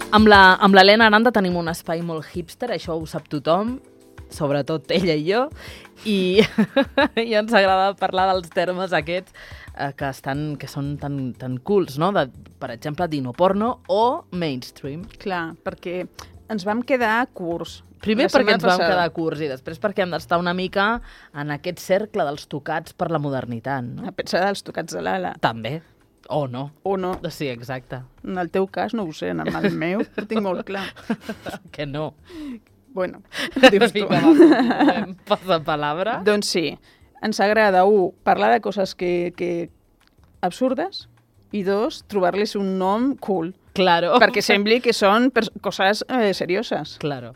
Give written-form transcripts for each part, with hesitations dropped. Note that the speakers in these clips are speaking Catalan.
Amb l'Helena Aranda tenim un espai molt hipster, això ho sap tothom, sobretot ella i jo, i ens agrada parlar dels termes aquests que són tan cools, no? Per exemple, dinoporno o mainstream. Clar, perquè ens vam quedar curts. Primer perquè ens vam quedar curts i després perquè hem d'estar una mica en aquest cercle dels tocats per la modernitat. No? A pensar dels tocats de l'ala. També. O no. O no. Sí, exacte. En el teu cas no ho sé, en el meu ho tinc molt clar. Que no. Bueno, dius tu. Passa palabra. Doncs sí, ens agrada, parlar de coses que absurdes i dos, trobar-les un nom cool. Claro. Perquè sembli que són coses serioses. Claro.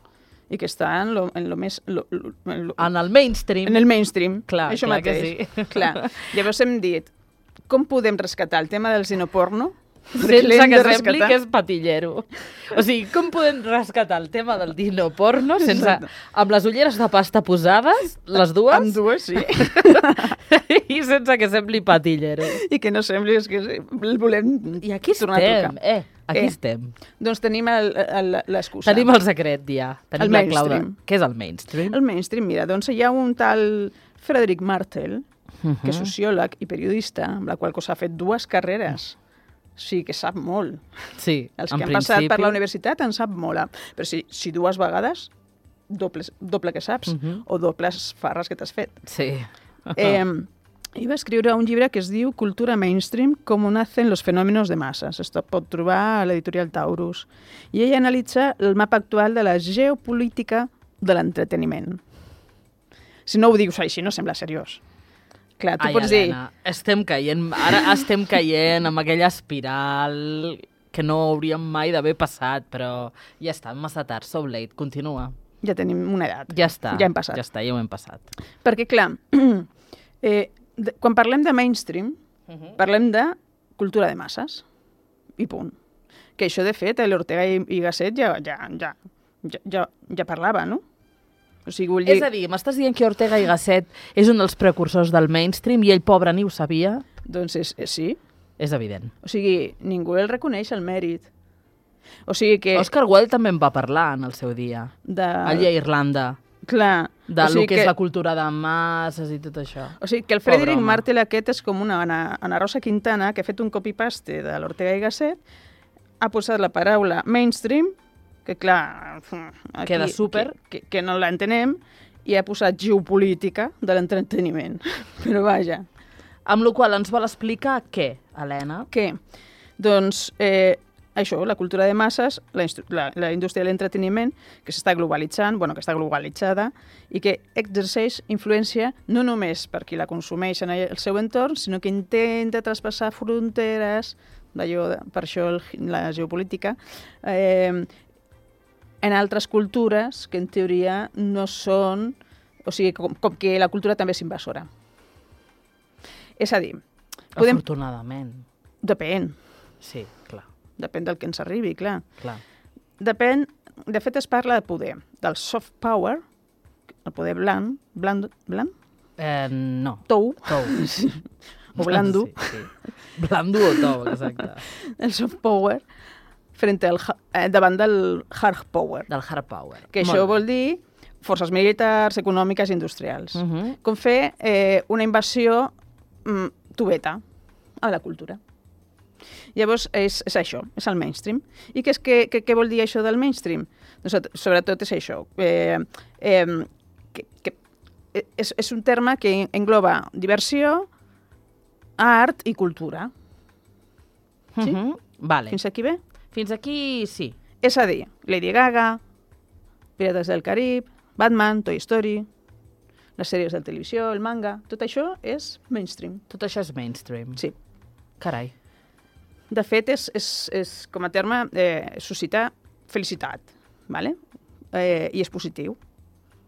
I que està en lo més... En el mainstream. En el mainstream. Clar, això clar mateix. que sí. Clar. Llavors hem dit, com podem rescatar el tema del dinoporno? Sense que sembli que és patillero. O sigui, com podem rescatar el tema del dinoporno amb les ulleres de pasta posades, les dues? Amb dues, sí. I sense que sembli patillero. I que no sembli que el volem I aquí tornar a estem, tocar. Aquí estem. Doncs tenim l'excusa. Tenim el secret, ja. Tenim el la clau de... mainstream. Què és el mainstream? El mainstream, mira, doncs hi ha un tal Frederic Martel, que és sociòleg i periodista, amb la qual cosa ha fet 2 carreres. Sí, que sap molt. Sí, Els que han passat per la universitat en sap molt. Però si 2 vegades, doble que saps, o dobles farres que t'has fet. Sí. I va escriure un llibre que es diu Cultura mainstream, cómo nacen los fenómenos de masas. Esto pot trobar a l'editorial Taurus. I ell analitza el mapa actual de la geopolítica de l'entreteniment. Si no ho dius així, no sembla seriós. Clar, tu pots dir... Ara estem caient amb aquella espiral que no hauríem mai d'haver passat, però ja està, massa tard, so late, continua. Ja tenim una edat. Ja està. Ja hem passat. Ja està, ja ho hem passat. Perquè, clar, quan parlem de mainstream, parlem de cultura de masses. I punt. Que això, de fet, l'Ortega i Gasset ja parlava, no? O sigui, vull dir... És a dir, m'estàs dient que Ortega i Gasset és un dels precursors del mainstream i ell, pobre, ni ho sabia? Doncs sí. És evident. O sigui, ningú el reconeix el mèrit. O sigui que... Oscar Wilde també en va parlar en el seu dia. Allà a Irlanda. Clar. Del que és la cultura de masses i tot això. O sigui, que el Frederic Martel aquest és com una Ana Rosa Quintana que ha fet un copy-paste de l'Ortega i Gasset, ha posat la paraula mainstream, que clar, aquí, queda súper, que no l'entenem, i ha posat geopolítica de l'entreteniment. Però vaja. Amb la qual ens vol explicar què, Helena? Què? Doncs això, la cultura de masses, la indústria de l'entreteniment, que s'està globalitzant, que està globalitzada, i que exerceix influència no només per qui la consumeix en el seu entorn, sinó que intenta traspassar fronteres, per això la geopolítica, en altres cultures que en teoria no són... O sigui, com que la cultura també és invasora. És a dir... Afortunadament. Depèn. Sí, clar. Depèn del que ens arribi, clar. Depèn... De fet, es parla de poder. Del soft power, el poder bland? No. Tou. Sí. O blando. Sí. Blando o tou, exacte. El soft power davant del hard power. Del hard power. Que això vol dir forces militars, econòmiques i industrials. Com fer una invasió tubeta a la cultura. Llavors, és això, és el mainstream. I què vol dir això del mainstream? Doncs, sobretot és això. És un terme que engloba diversió, art i cultura. Sí? Vale. Fins aquí bé? Fins aquí sí. És a dir, Lady Gaga, Pirates del Carib, Batman, Toy Story, les sèries de televisió, el manga, tot això és mainstream. Tot això és mainstream. Sí. Carai. De fet, és com a terme suscitar felicitat, ¿vale? I és positiu,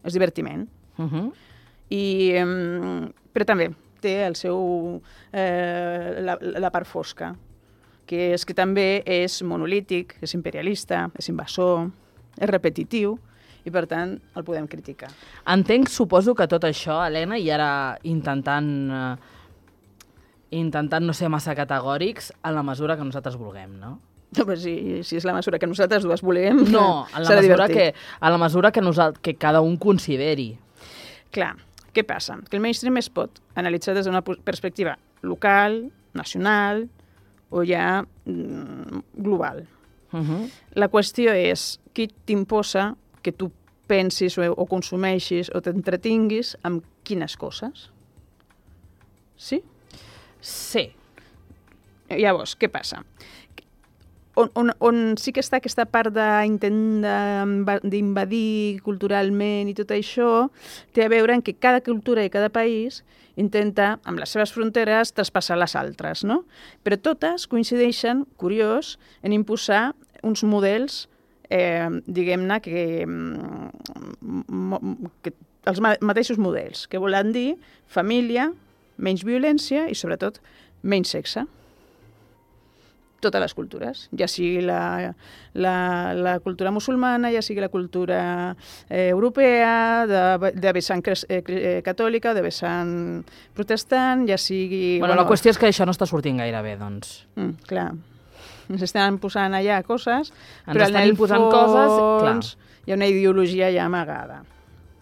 és divertiment. Però també té el seu la part fosca, que és que també és monolític, és imperialista, és invasor, és repetitiu, i per tant el podem criticar. Entenc, suposo que tot això, Helena, i ara intentant no ser massa categòrics, en la mesura que nosaltres vulguem, no? Si és la mesura que nosaltres dues volem, No, serà divertit. a la mesura que cada un consideri. Clar, què passa? Que el mainstream es pot analitzar des d'una perspectiva local, nacional o ja global. La qüestió és qui t'imposa que tu pensis o consumeixis o t'entretinguis amb quines coses. Sí? Sí. Llavors, què passa? On sí que està aquesta part d'intent d'invadir culturalment i tot això, té a veure en que cada cultura i cada país intenta, amb les seves fronteres, traspassar les altres, no? Però totes coincideixen, curiós, en imposar uns models, diguem-ne, que els mateixos models, que volen dir família, menys violència i, sobretot, menys sexe. Totes les cultures, ja sigui la cultura musulmana, ja sigui la cultura europea, de vessant catòlica, de vessant protestant, ja sigui... Bueno, la qüestió és que això no està sortint gaire bé, doncs. Clar. Ens estan posant allà coses, Ens però en estan el imposant fons coses, hi ha una ideologia ja amagada.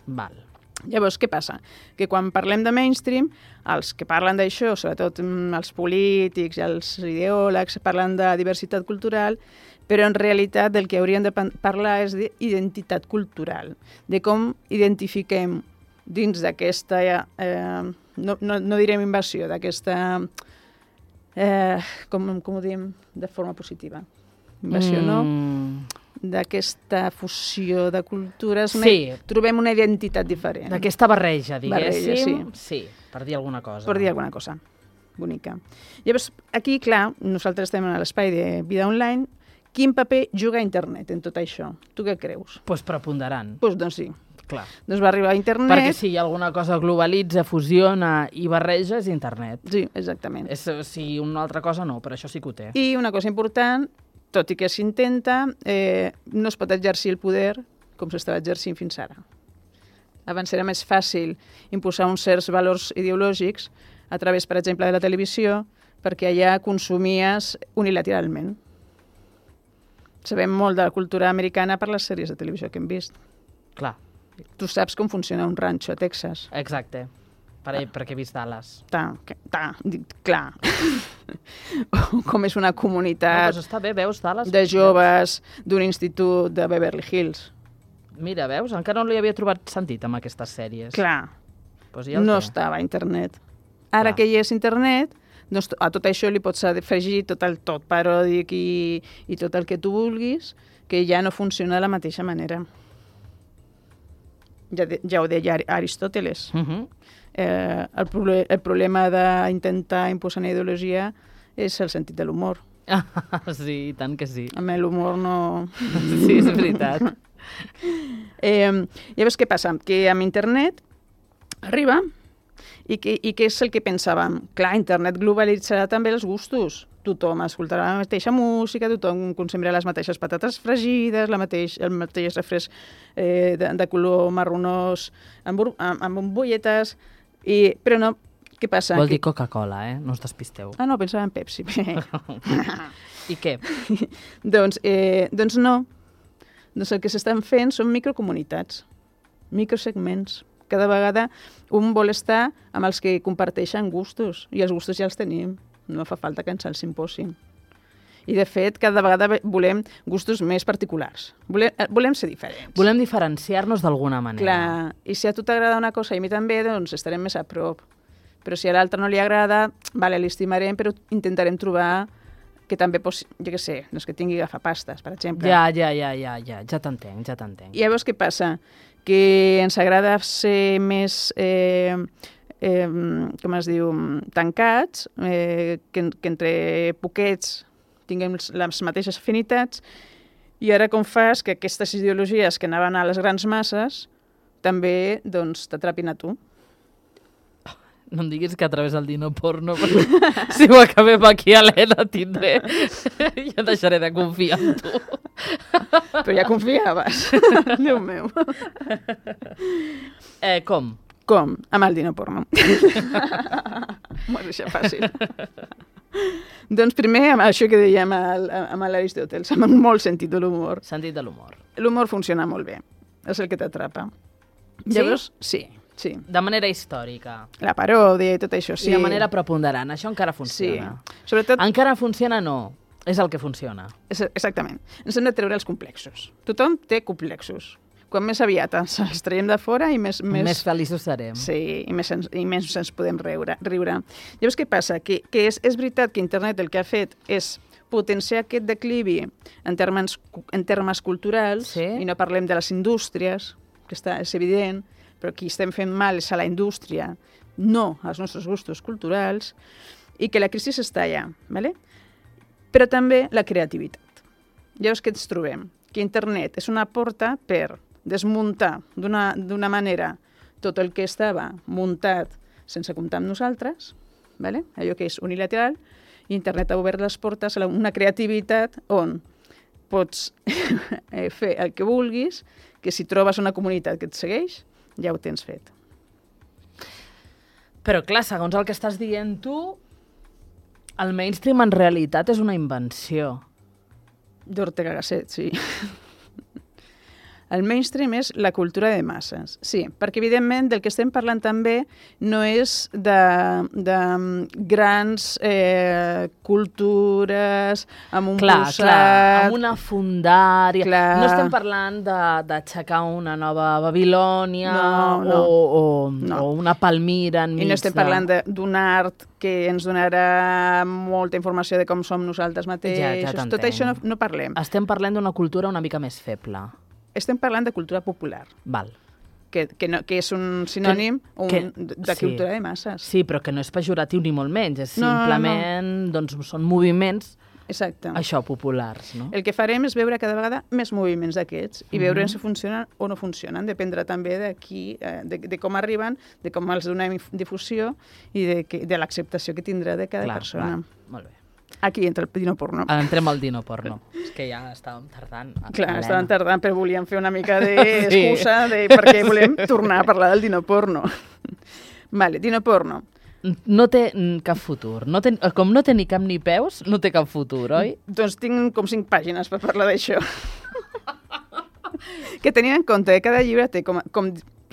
Val. Llavors, què passa? Que quan parlem de mainstream, els que parlen d'això, sobretot els polítics i els ideòlegs, parlen de diversitat cultural, però en realitat del que hauríem de parlar és d'identitat cultural, de com identifiquem dins d'aquesta, no direm invasió, d'aquesta, com ho diem de forma positiva? Invasió, no? D'aquesta fusió de cultures, Sí. Trobem una identitat diferent. D'aquesta barreja, diguéssim. Barreja, sí, per dir alguna cosa. Per dir alguna cosa. Bonica. Llavors, aquí, clar, nosaltres estem a l'espai de vida online. Quin paper juga internet en tot això? Tu què creus? Pues preponderant. Doncs sí. Clar. Doncs va arribar a internet... Perquè si hi ha alguna cosa globalitza, fusiona i barreja, és internet. Sí, exactament. Si una altra cosa no, però això sí que ho té. I una cosa important, tot i que s'intenta, no es pot exercir el poder com s'estava exercint fins ara. Abans era més fàcil imposar uns certs valors ideològics a través, per exemple, de la televisió, perquè allà consumies unilateralment. Sabem molt de la cultura americana per les sèries de televisió que hem vist. Clar. Tu saps com funciona un ranxo a Texas. Exacte. Perquè he vist Dallas. Clar. Com és una comunitat Està bé, veus, Dallas? de joves d'un institut de Beverly Hills. Mira, veus? Encara no li havia trobat sentit amb aquestes sèries. Clar, Pues ja no estava a internet. Ara Clar. que hi és internet, doncs a tot això li pots afegir tot el tot paròdic i tot el que tu vulguis, que ja no funciona de la mateixa manera. Ja ho deia Aristòteles. El problema d'intentar imposar una ideologia és el sentit de l'humor. Sí, i tant que sí. Amb l'humor no... Sí, és veritat. Llavors, què passa? Que amb internet arriba i què és el que pensàvem? Clar, internet globalitzarà també els gustos. Tothom escoltarà la mateixa música, tothom consumirà les mateixes patates fregides, el mateix refresc de color marronós amb bombolletes, però no, què passa? Vol dir Coca-Cola, no us despisteu. Ah, no, pensava en Pepsi. I què? Doncs no. Doncs el que s'estan fent són microcomunitats, microsegments. Cada vegada un vol estar amb els que comparteixen gustos, i els gustos ja els tenim. No fa falta que ens els imposin. I, de fet, cada vegada volem gustos més particulars. Volem ser diferents. Volem diferenciar-nos d'alguna manera. Clar, i si a tu t'agrada una cosa i a mi també, doncs estarem més a prop. Però si a l'altre no li agrada, vale, l'estimarem, però intentarem trobar que també, jo què sé, doncs que tingui agafapastes, per exemple. Ja t'entenc. I llavors què passa? Que ens agrada ser més... com es diu, tancats, que entre poquets tinguem les mateixes afinitats, i ara com fas que aquestes ideologies que anaven a les grans masses també doncs, t'atrapin a tu. No em diguis que a través del Dino Porno, si ho acabem aquí a l'Ena tindré, ja deixaré de confiar en tu. Però ja confiaves, Déu meu. Com? Com? Amb el Dino Porno. M'ho has deixat fàcil. Doncs primer, amb això que dèiem amb l'Aristòteles, amb un molt sentit de l'humor. Sentit de l'humor. L'humor funciona molt bé. És el que t'atrapa. Sí? Llavors, sí. De manera històrica. La paròdia i tot això, sí. I de manera preponderant. Això encara funciona. Sí. Sobretot... Encara funciona, no. És el que funciona. Exactament. Ens hem de treure els complexos. Tothom té complexos. Quan més aviat els traiem de fora i més feliços serem. Sí, i més ens podem riure. Llavors, què passa? Que és veritat que internet el que ha fet és potenciar aquest declivi en termes culturals, sí. I no parlem de les indústries, que és evident, però qui estem fent mal és a la indústria, no als nostres gustos culturals, i que la crisi està allà, ¿vale? Però també la creativitat. Llavors, què ens trobem? Que internet és una porta per desmuntar d'una manera tot el que estava muntat sense comptar amb nosaltres, ¿vale? Allò que és unilateral, i internet ha obert les portes a una creativitat on pots fer el que vulguis, que si trobes una comunitat que et segueix, ja ho tens fet. Però clar, segons el que estàs dient tu, el mainstream en realitat és una invenció. D'Ortega Gasset, sí. El mainstream és la cultura de masses, sí, perquè evidentment del que estem parlant també no és de grans cultures amb un posat... Clar, amb una fundària... Clar. No estem parlant d'aixecar una nova Babilònia o una Palmira enmig. I no estem parlant d'un art que ens donarà molta informació de com som nosaltres mateixos. Ja tot això no parlem. Estem parlant d'una cultura una mica més feble. Estem parlant de cultura popular. Val. Que és un sinònim de cultura de masses. Sí, però que no és pejoratiu ni molt menys. És simplement, doncs, són moviments, això, populars. No? El que farem és veure cada vegada més moviments d'aquests i veure si funcionen o no funcionen. Dependrà també de com arriben, de com els donem difusió i de l'acceptació que tindrà de cada persona. Molt bé. Aquí entra el dino porno. Entrem al dino porno. És que ja estàvem tardant. Clar, estàvem tardant, però volíem fer una mica d'excusa perquè volem tornar a parlar del dino porno. Vale, dino porno. No té cap futur. Com no té ni cap ni peus, no té cap futur, oi? Doncs tinc com 5 pàgines per parlar d'això. Que tenint en compte que cada llibre té com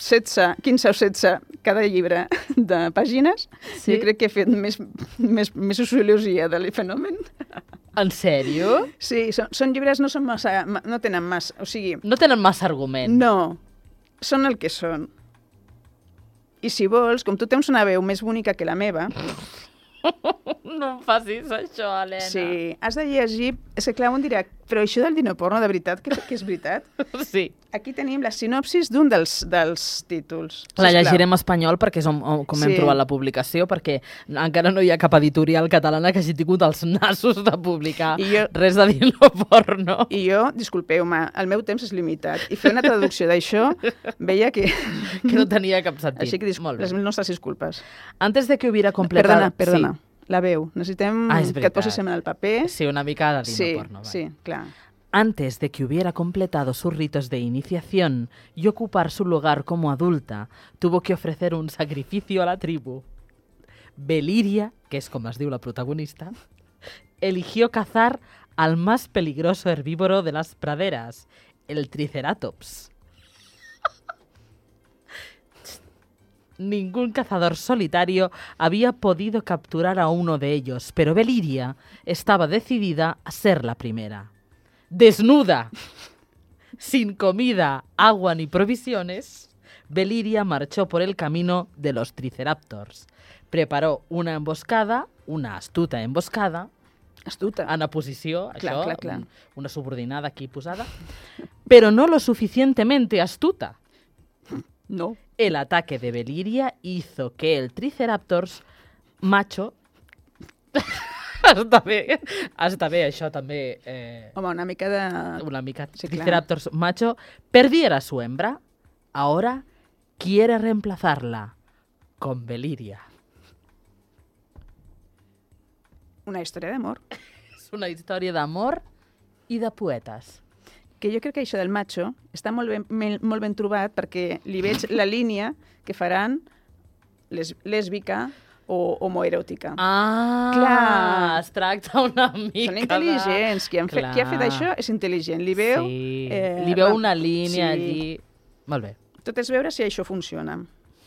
15 o 16 cada llibre de pàgines, sí? Jo crec que he fet més sociologia del fenomen. En sèrio? Sí, són llibres, no tenen massa, o sigui... No tenen massa argument. No, són el que són. I si vols, com tu tens una veu més bonica que la meva... No em facis això, Helena. Sí, has de llegir... És que clar, un dirà, però això del dino porno, de veritat, que és veritat? Sí. Aquí tenim la sinopsis d'un dels títols. La llegirem en espanyol perquè és com hem trobat la publicació, perquè encara no hi ha cap editorial catalana que hagi tingut els nassos de publicar res de dino porno. I jo, disculpeu-me, el meu temps és limitat. I fer una traducció d'això veia que no tenia cap sentit. Així que les nostres disculpes. Antes de que hubiera completado... Perdona. La veu. Necessitem que et posis en el paper. Sí, una mica de dino porno. Sí, clar. Antes de que hubiera completado sus ritos de iniciación y ocupar su lugar como adulta, tuvo que ofrecer un sacrificio a la tribu. Beliria, que es como es diu la protagonista, eligió cazar al más peligroso herbívoro de las praderas, el Triceratops. Ningún cazador solitario había podido capturar a uno de ellos, pero Beliria estaba decidida a ser la primera. Desnuda, sin comida, agua ni provisiones, Beliria marchó por el camino de los Triceraptors. Preparó una emboscada, una astuta emboscada, en oposició, això, clar. Una subordinada aquí posada, pero no lo suficientemente astuta. No. El ataque de Beliria hizo que el Triceratops macho... Està bé, això també... Home, una mica de... Una mica. Sí, Triceratops macho perdiera a su hembra. Ahora quiere reemplazarla con Beliria. Una història d'amor. És una història d'amor i de poetes. Que jo crec que això del macho està molt ben trobat perquè li veig la línia que faran lèsbica homoeròtica. Clar. Es tracta una mica Són intel·ligents. Qui ha fet això és intel·ligent. Li veu... Sí. Li veu una línia allí. Molt bé. Tot és veure si això funciona.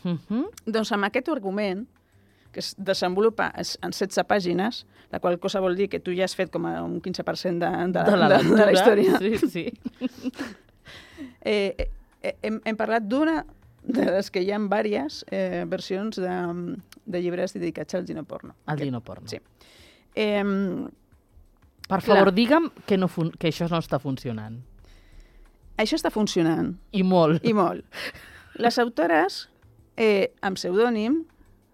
Doncs amb aquest argument, que es desenvolupa en 16 pàgines, la qual cosa vol dir que tu ja has fet com a un 15% de la història. Sí. Hem parlat d'una de les que hi ha diverses versions de llibres dedicats al dinoporno. Al dinoporno. Sí. Per favor, digue'm que això no està funcionant. Això està funcionant. I molt. I molt. Les autores, amb pseudònim,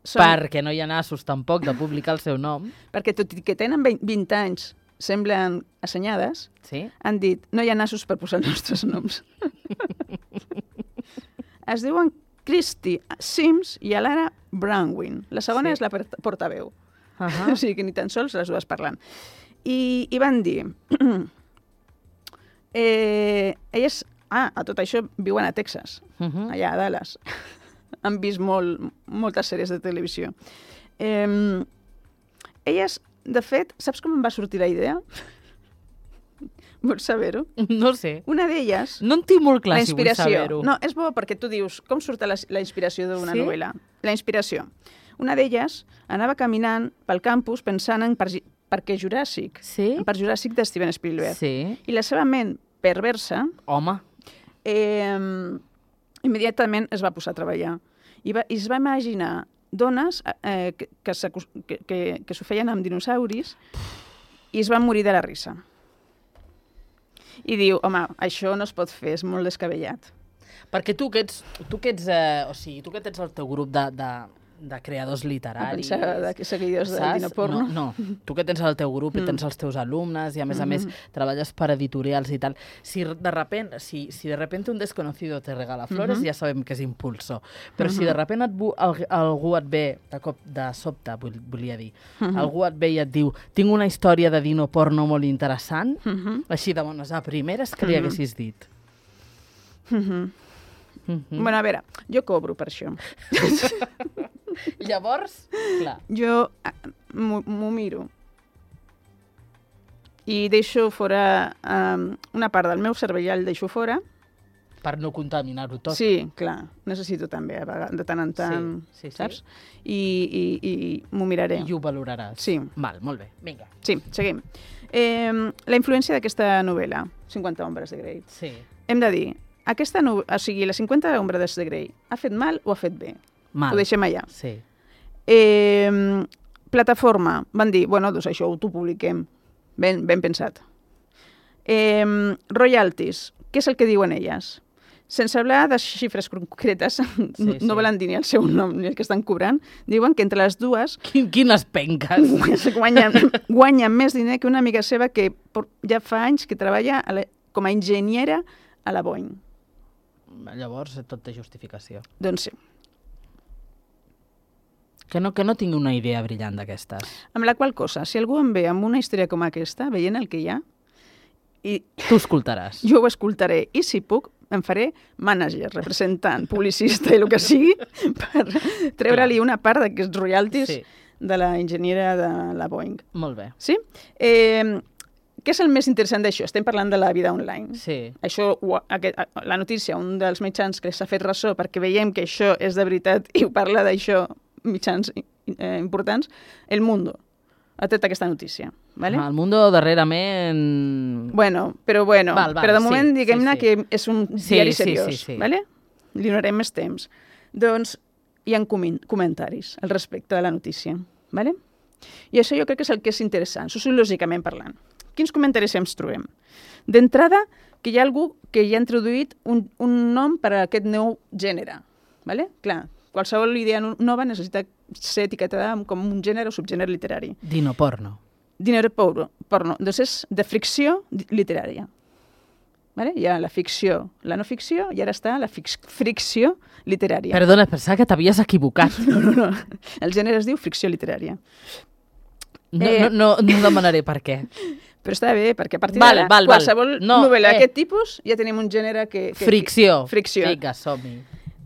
perquè no hi ha nassos tampoc de publicar el seu nom. Perquè tot i que tenen 20 anys, semblen assenyades, han dit, no hi ha nassos per posar els nostres noms. Es diuen Christy Sims i Alara Brandwin. La segona és la portaveu. O sigui que ni tan sols les dues parlant. I van dir... elles, a tot això, viuen a Texas, allà a Dallas. Han vist moltes sèries de televisió. Elles, de fet, saps com em va sortir la idea? Vols saber-ho? No sé. Una d'elles... No en tinc molt clar si vull saber-ho. No, és bo perquè tu dius, com surt la inspiració d'una novel·la? La inspiració. Una d'elles anava caminant pel campus pensant en Parque Juràssic. Sí? En Parc Juràssic de Steven Spielberg. Sí. I la seva ment perversa... Home. Immediatament es va posar a treballar. I es va imaginar dones que s'ho feien amb dinosauris i es van morir de la risa. I diu, home, això no es pot fer, és molt descabellat. Perquè tu que ets el teu grup de creadors literaris... Pensava que seguidors del dinoporno. No, tu que tens el teu grup i tens els teus alumnes i a més treballes per editorials i tal. Si de repente un desconocido te regala flores, ja sabem que és impulso. Però si de repente algú et ve, de sobte, volia dir, algú et ve i et diu tinc una història de dinoporno molt interessant, així de bones a primeres, que li haguessis dit? Bueno, a veure, jo cobro per això. Llavors, clar. Jo m'ho miro i deixo fora una part del meu cervell, el deixo fora. Per no contaminar-ho tot. Sí, clar. Necessito també, de tant en tant, saps? I m'ho miraré. I ho valoraràs. Sí. Val, molt bé. Vinga. Sí, seguim. La influència d'aquesta novel·la, 50 ombres de Grey. Sí. Hem de dir, la 50 ombres de Grey, ha fet mal o ha fet bé? Mal. Ho deixem allà. Sí. Plataforma, van dir, bueno, doncs això ho publiquem. Ben pensat. Royalties, què és el que diuen elles? Sense hablar de xifres concretes, no volen dir ni el seu nom ni el que estan cobrant, diuen que entre les dues... Quines penques! Guanyen més diner que una amiga seva que ja fa anys que treballa com a enginyera a la Boeing. Llavors tot té justificació. Doncs sí. Que no tingui una idea brillant d'aquestes. Amb la qual cosa, si algú em ve amb una història com aquesta, veient el que hi ha... Tu escoltaràs. Jo ho escoltaré. I si puc, em faré mànager, representant, publicista i el que sigui, per treure-li una part d'aquests royalties de la enginyera de la Boeing. Molt bé. Sí? Què és el més interessant d'això? Estem parlant de la vida online. Sí. Això, la notícia, un dels mitjans que s'ha fet ressò perquè veiem que això és de veritat i ho parla d'això mitjans importants, El Mundo ha tret aquesta notícia. Vale? El Mundo darrerament... Però de moment diguem-ne que és un diari seriós. Sí. Vale? Li donarem més temps. Doncs hi ha comentaris al respecte de la notícia. Vale? I això jo crec que és el que és interessant, sociològicament parlant. Quins comentaris ens trobem? D'entrada, que hi ha algú que ja ha introduït un nom per a aquest nou gènere. Vale? Clar, qualsevol idea nova necessita ser etiquetada com un gènere o subgènere literari. Dinoporno. Dinoporno. Doncs és de fricció literària. Vale? Hi ha la ficció, la no ficció, i ara està la fricció literària. Perdona, pensava que t'havies equivocat. No. El gènere es diu fricció literària. No demanaré per què. Però està bé, perquè a partir d'ara, qualsevol novel·la d'aquest tipus, ja tenim un gènere que... Fricció. Fricció. Vinga, som-hi.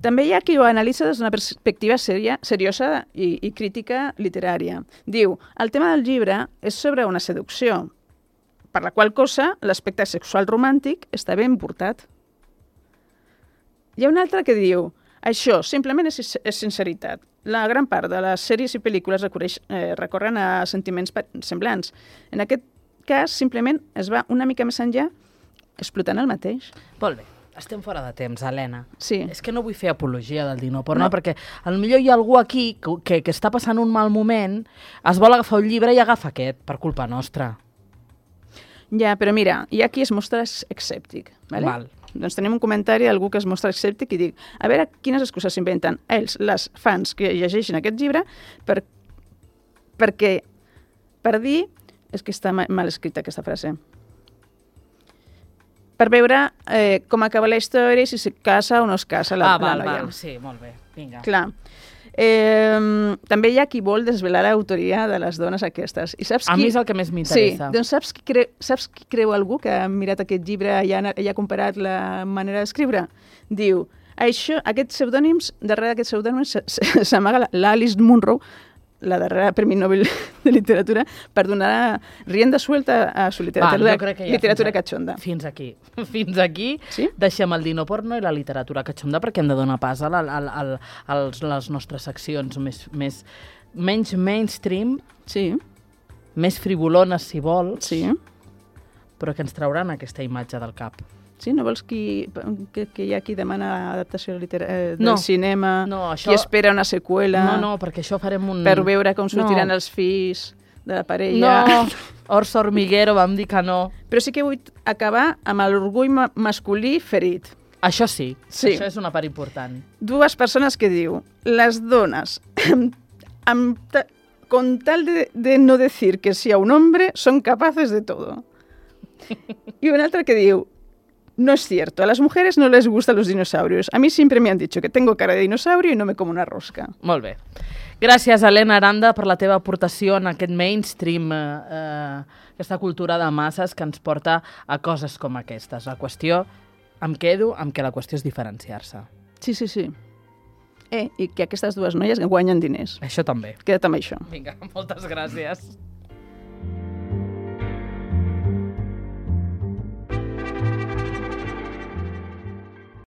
També hi ha qui ho analitza des d'una perspectiva seriosa i crítica literària. Diu, el tema del llibre és sobre una seducció, per la qual cosa l'aspecte sexual romàntic està ben portat. Hi ha un altre que diu, això simplement és sinceritat. La gran part de les sèries i pel·lícules recorren a sentiments semblants. En aquest cas, simplement es va una mica més enllà explotant el mateix. Molt bé. Estem fora de temps, Helena. Sí. És que no vull fer apologia del dinoporno, perquè potser hi ha algú aquí que està passant un mal moment, es vol agafar un llibre i agafa aquest, per culpa nostra. Ja, però mira, hi ha qui es mostra escèptic. Vale? Val. Doncs tenim un comentari d'algú que es mostra escèptic i dic, a veure quines excuses s'inventen ells, les fans que llegeixen aquest llibre, per dir... És que està mal escrita aquesta frase. Per veure com acaba la història i si se casa o no es casa la noia. Val, sí, molt bé, vinga. Clar. També hi ha qui vol desvelar l'autoria de les dones aquestes. I saps A mi és el que més m'interessa. Sí, doncs saps qui creu algú que ha mirat aquest llibre i ha comparat la manera d'escriure? Diu, aquests pseudònims, darrere d'aquests pseudònims s'amaga l'Alice Munro, la darrera Premi Nobel de Literatura, per donar rienda suelta a su literatura cachonda. Fins aquí. Fins aquí sí? Deixem el dinoporno i la literatura cachonda perquè hem de donar pas a les nostres seccions menys mainstream, sí. Més frivolones, si vols, sí. Però que ens trauran aquesta imatge del cap. Sí, no vols que hi ha qui demana adaptació del cinema, això... qui espera una seqüela... No, perquè això farem un... Per veure com sortiran els fills de la parella... No, Orso Hormiguero vam dir que no. Però sí que vull acabar amb l'orgull masculí ferit. Això sí, això és una part important. Dues persones que diu, les dones, con tal de no decir que sea un hombre, son capaces de todo. Y un altre que diu, no es cierto, a las mujeres no les gustan los dinosaurios. A mí siempre me han dicho que tengo cara de dinosaurio y no me como una rosca. Molt bé. Gràcies, Helena Aranda, per la teva aportació en aquest mainstream, aquesta cultura de masses que ens porta a coses com aquestes. La qüestió, em quedo amb que la qüestió és diferenciar-se. Sí. I que aquestes dues noies guanyen diners. Això també. Queda't amb això. Vinga, moltes gràcies.